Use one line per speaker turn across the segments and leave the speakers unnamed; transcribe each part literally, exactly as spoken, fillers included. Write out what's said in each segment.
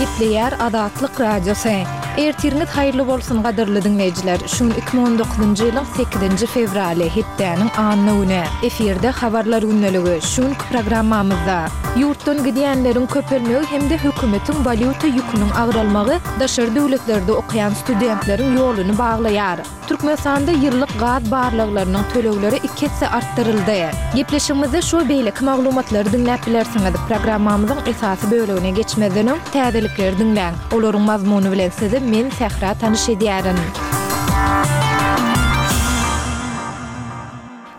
Gepleýär Azatlyk Radiosy. Ertiriňiz haýyrly bolsun gadyrly diňleýjiler. Şu gün iki müň on dokuzynjy ýylyň sekizinji fewraly, hepdäniň anna güni. Efirde Habarlar gündeligi. Şu günki programmamyzda ýurtdan gidýänleriň köpelmegi hem-de hökümetiň walýuta ýüküniň agralmagy daşary döwletlerde okaýan studentleriň ýoluny baglaýar. Türkmenistanda ýyllyk gaz barlaglarynyň tölegleri iki esse artdyryldy. Gepleşigimizde şu we beýleki maglumatlary diňläp bilersiňiz. Programmamyzyň esasy bölegine geçmezden öň, täzelikleri diňläň. Olaryň mazmuny bilen sizi men, Sähra tanyş edýärin.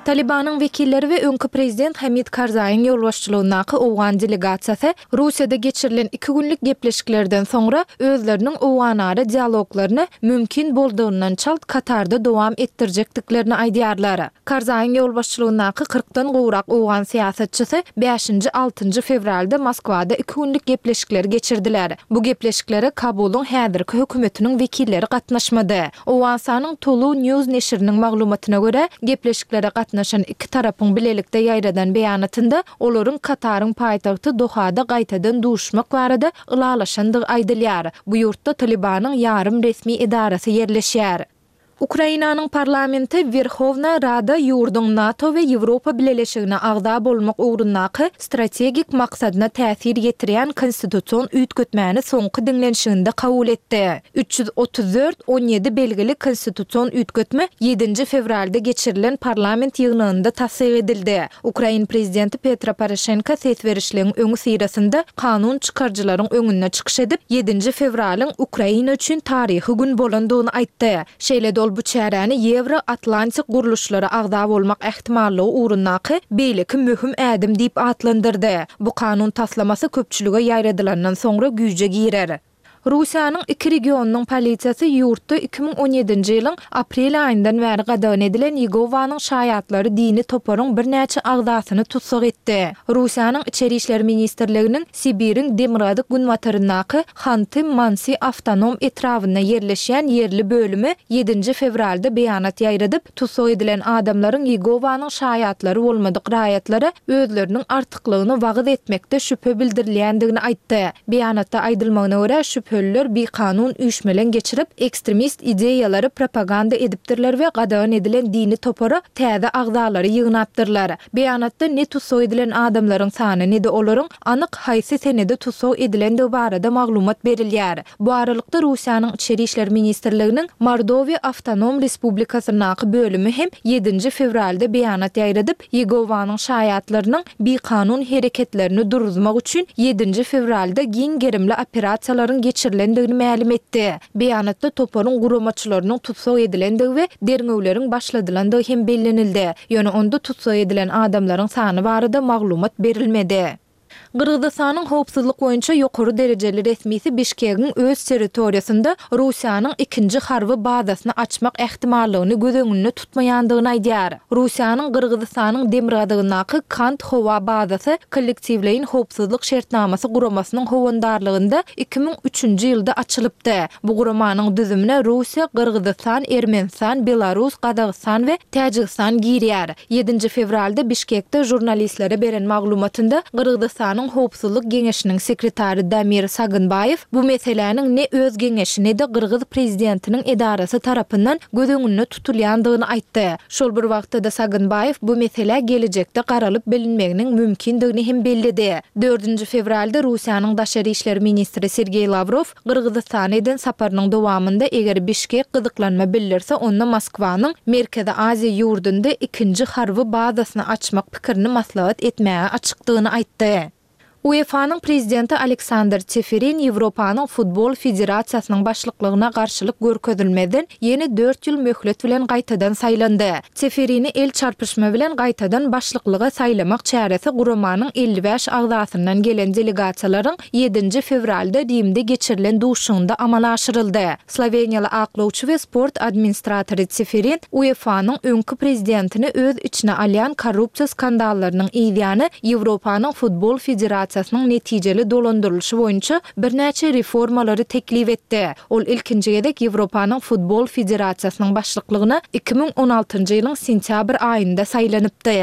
Talybanyň wekilleri we öňki prezident Hamid Karzaýyň ýolbaşçylygyndaky owgan delegasiýasy Russiýada geçirilen iki günlük gepleşiklerden soňra özleriniň owganara dialoglaryny mümkin boldugyndan çalt Katarda dowam etdirjekdiklerini aýdýarlar. Karzaýyň ýolbaşçylygyndaky kyrkdan gowrak owgan syýasatçysy bäşinji-altynjy fewralda Moskwada iki günlük gepleşikleri geçirdiler. Bu gepleşiklere Kabulyň häzirki hökümetiniň wekilleri gatnaşmady. Owganystanyň Tolu News neşiriniň maglumatyna görä, gepleşiklere gatnaşan iki tarapyň bilelikde ýaýradan beýanatynda olaryň Kataryň paýtagty Dohada gaýtadan duşuşmak barada ylalaşandygy aýdylýar. Bu ýurtda Talybanyň ýarym resmi edarasy ýerleşýär. Ukrainanyň parlamenti Werhowna Rada ýurduň NATO we Ýewropa Bileleşigine agza bolmak ugrundaky strategik maksadyna täsir ýetirýän konstitusion üýtgetmäni soňky diňlenişiginde kabul etdi. Üç ýüz otuz dört, on ýedi belgili konstitusion üýtgetme ýedinji fewralda geçirilen parlament ýygnagynda tassyk edildi. Ukrain prezidenti Petro Poroşenko ses berişligiň öňüsyrasynda kanun çykaryjylaryň öňünde çykyş edip, ýedinji fewralyň Ukraina üçin taryhy gün bolandygyny aýtdy. Şeýle-de ol bu çäräni Ýewro-Atlantik gurluşlara agza bolmak ähtimallygy ugrundaky beýleki möhüm ädim diýip atlandyrdy. Bu kanun taslamasy köpçülige ýaýradylandan soňra güýje girer. Russiýanyň iki regionynyň polisiýasy ýurtda iki müň on ýedinji ýylyň aprel aýyndan bäri gadagan edilen Ýegowanyň şaýatlary dini toparyň birnäçe agzasyny tussag etdi. Russiýanyň Içeri işler ministrliginiň Sibiriň demirgazyk-günbataryndaky Hanty-Mansi awtonom etrabynda ýerleşýän ýerli bölümi ýedinji fewralda beýanat ýaýradyp, tussag edilen adamlaryň Ýegowanyň şaýatlary bolmadyk raýatlara özleriniň artyklygyny wagyz etmekde şübhe bildirilýändigini aýtdy. Beýanatda aýdylmagyna görä, şübheliler bikanun üýşmeleň geçirip, ekstremist ideýalary propaganda edipdirler we gadagan edilen dini topara täze agzalary ýygnapdyrlar. Beýanatda ne tussag edilen adamlaryň sany, ne-de olaryň anyk haýsy senede tussag edilendigi barada maglumat berilýär. Bu aralykda, Russiýanyň Içeri işler ministrliginiň Mordowiýa awtonom respublikasyndaky bölümi hem ýedinji fewralda beýanat ýaýradyp, Ýegowanyň Şaýatlarynyň bikanun hereketlerini duruzmak üçin ýedinji fewralda giň gerimli operasiýalaryň geçirilendigini mälim etdi. Beýanatda toparyň guramaçylarynyň tussag edilendigi we derňewleriň başladylandygy hem bellenildi. Ýöne onda tussag edilen adamlaryň sany barada maglumat berilmedi. Gyrgyzystanyň howpsuzlyk boýunça ýokary derejeli resmisi Bişkegiň öz territoriýasynda Russiýanyň ikinji harby bazasyny açmak ähtimallygyny göz öňünde tutmaýandygyny aýdýar. Russiýanyň Gyrgyzystanyň demirgazygyndaky Kant howa bazasy Kollektiwleýin howpsuzlyk şertnamasy guramasynyň howandarlygynda iki müň üçünji ýylda açylypdy. Bu guramanyň düzümine Russiýa, Gyrgyzystan, Ermenistan, Belarus, Gazagystan we Täjigistan girýär. Ýedinji fewralda Bişkekde žurnalistlere beren maglumatynda Gyrgyzystanyň Howpsuzlyk geňeşiniň sekretary Damir Sagynbaýew bu meseläniň ne öz geňeşi, ne-de gyrgyz prezidentiniň edarasy tarapyndan göz öňünde tutulýandygyny aýtdy. Şol bir wagtda-da Sagynbaýew bu meselä gelejekde garalyp bilinmeginiň mümkindigini hem belledi. Dördünji fewralda Russiýanyň daşary işler ministri Sergeý Lawrow Gyrgyzystana eden saparynyň dowamynda eger Bişkek gyzyklanma bildirse onda Moskwanyň Merkezi Aziýa ýurdunda ikinji harby bazasyny açmak pikirini maslahat etmäge açykdygyny aýtdy. UEFA-nyň prezidenti Aleksandr Çeferin Ýewropanyň Futbol federasiýasynyň başlyklygyna garşylyk görkezilmezden ýene dört ýyl möhlet bilen gaýtadan saýlandy. Çeferini el çarpyşma bilen gaýtadan başlyklyga saýlamak çäresi guramanyň elli bäş agzasyndan gelen delegasiýalaryň ýedinji fewralda Rimde geçirilen duşuşygynda amala aşyryldy. Sloweniýaly aklawçy we sport administratory Çeferin UEFA-nyň öňki prezidentini öz içine alýan korrupsiýa skandallarynyň yzýany Ýewropanyň Futbol federasiýasynyň netijeli dolandyrylyşy boýunça birnäçe reformalary teklip etdi. Ol ilkinji gezek Ýewropanyň Futbol federasiýasynyň başlyklygyna iki müň on altynjy ýylyň sentýabr aýynda saýlanypdy.